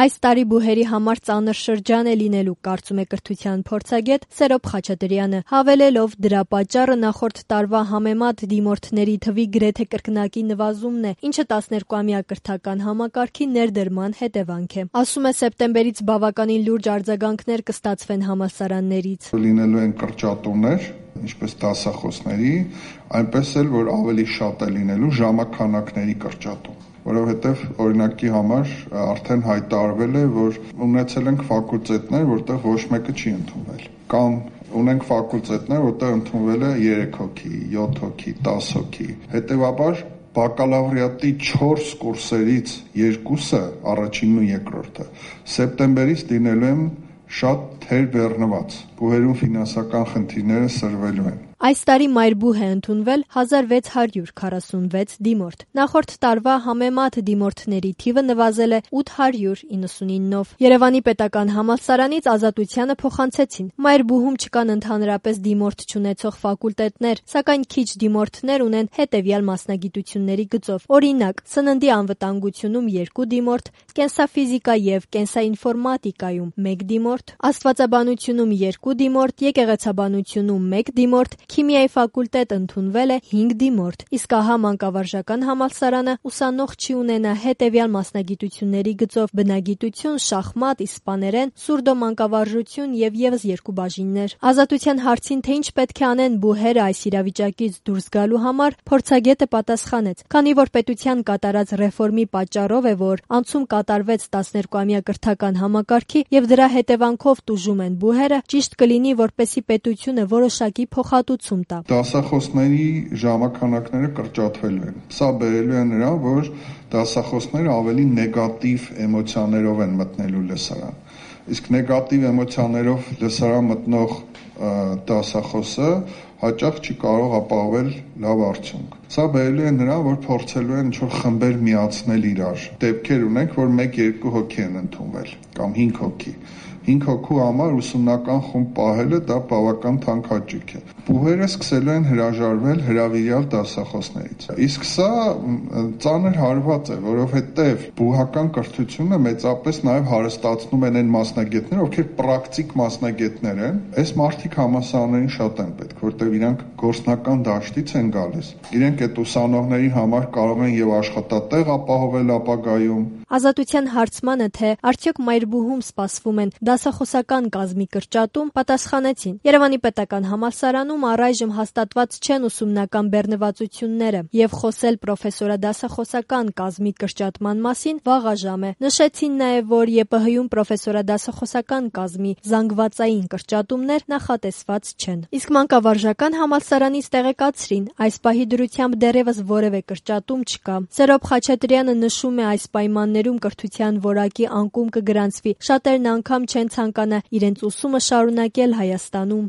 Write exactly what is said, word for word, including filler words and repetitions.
Այս տարի բուհերի համար ծանր շրջան է լինելու, կարծում է կրթության փորձագետ Սերոբ Խաչատրյանը, հավելելով դրա պատճառը նախորդ տարվա համեմատ դիմորդների թվի գրեթե կրկնակի նվազումն է, ինչը տասներկուամյա կրթական համակարգի ներդրման հետևանք է։ Ասում է, սեպտեմբերից բավականին լուրջ արձագանքներ կստացվեն համալսարաններից։ Լինելու են կրճատումներ, ինչպես դասախոսների, այնպես էլ որ ավելի շատ է լինելու ժամաքանակների կրճատում, որովհետև օրինակի համար արդեն հայտարարվել է, որ ունեցել ենք ֆակուլտետներ, որտեղ ոչ մեկը չի ընդունվել, կամ ունենք ֆակուլտետներ, որտեղ ընդունվել է երեք հոգի, յոթ հոգի, դաս հոգի, հետևաբար բակալավրիատի չորս կուրսերից երկուսը, առաջինն ու երկրորդը, սեպտեմբերից լինելու են շատ թերբեռնված, բուհերում ֆինանսական խնդիրները սրվելու են։ Այս տարի մայրբուհ է ընդունվել հազար վեց հարյուր քառասունվեց դիմորդ։ Նախորդ տարվա համեմատ դիմորդների թիվը նվազել է ութ հարյուր իննսունինով։ Երևանի պետական համալսարանից Ազատությանը փոխանցեցին. մայրբուհում չկան ընդհանրապես դիմորդ չունեցող ֆակուլտետներ, սակայն քիչ դիմորդներ ունեն հետևյալ մասնագիտությունների գծով։ Օրինակ, սննդի անվտանգությունում երկու դիմորդ, կենսաֆիզիկա եւ կենսաինֆորմատիկայում մեկ դիմորդ, աստվածաբանությունում երկու դիմորդ, եկեղեցաբանությունում մեկ դիմորդ, Քիմիայի ֆակուլտետ ընդունվել է հինգ դիմորդ, իսկ ահա մանկավարժական համալսարանը ուսանող չի ունենա հետևյալ մասնագիտությունների գծով բնագիտություն, շախմատ, իսպաներեն, սուրդոմանկավարժություն եւ եւս երկու բաժիններ։ Ազատության հարցին, թե ինչ պետք է անեն բուհերը այս իրավիճակից դուրս գալու համար, փորձագետը պատասխանեց. քանի որ պետության կատարած ռեֆորմի պատճառով է, որ անցում կատարվեց տասներկուամյա կրթական համակարգի եւ դրա հետևանքով տուժում են բուհերը, ճիշտ կլինի, որպեսզի պետությունը որոշակի փոխհատուցում տա։ Դասախոսների ժամանակները կրճատվելու են։ Սա բերելու է նրան, որ դասախոսները ավելի նեգատիվ էմոցիաներով են մտնելու լսարան։ Իսկ նեգատիվ էմոցիաներով լսարան մտնող դասախոսը հաճախ չի կարող ապահովել լավ արդյունք։ Սա բերելու է նրան, որ փորձելու են ինչ-որ խմբեր միացնել իրար։ Դեպքեր ունենք, որ մեկ-երկու հոգի են ընդունվել կամ հինգ հոգի։ հինգ հոգու համար ուսումնական խումբ պահելը դա բավական թանկ հաճույք է։ Բուհերը սկսելու են հրաժարվել հրավիրյալ դասախոսներից։ Իսկ սա ծանր հարված է, որովհետև բուհական կրթությունը մեծապես նաև հարստացնում են այն մասնագետները, ովքեր պրակտիկ մասնագետներ են։ Այս մարդիկ համալսարաններին շատ են պետք, որտեղ իրանք գործնական դաշտից են գալիս։ Իրենք այդ ուսանողների համար կարող են եւ աշխատատեղ ապահովել ապագայում։ Ազատության հարցմանը, թե արդյոք մայրբուհում սպասվում են դասախոսական կազմի կրճատում, պատասխանեցին. Երևանի պետական համալսարանում առայժմ հաստատված չեն ուսումնական բեռնվածությունները եւ խոսել պրոֆեսորադասախոսական կազմի կրճատման մասին վաղաժամ է։ Նշեցին նաեւ, որ ԵՊՀ-ում պրոֆեսորադասախոսական կազմի զանգվածային կրճատումներ նախատեսված չեն։ Իսկ մանկավարժական համալսարանից տեղեկացրին, այս պահի դրությամբ դեռևս որևէ կրճատում չկա։ Սերոբ Խաչատրյանը նշում է, այս պայմաններում կրթության որակի անկում կգրանցվի, շատերն անգամ չեն ցանկանա իրենց ուսումը շարունակել Հայաստանում։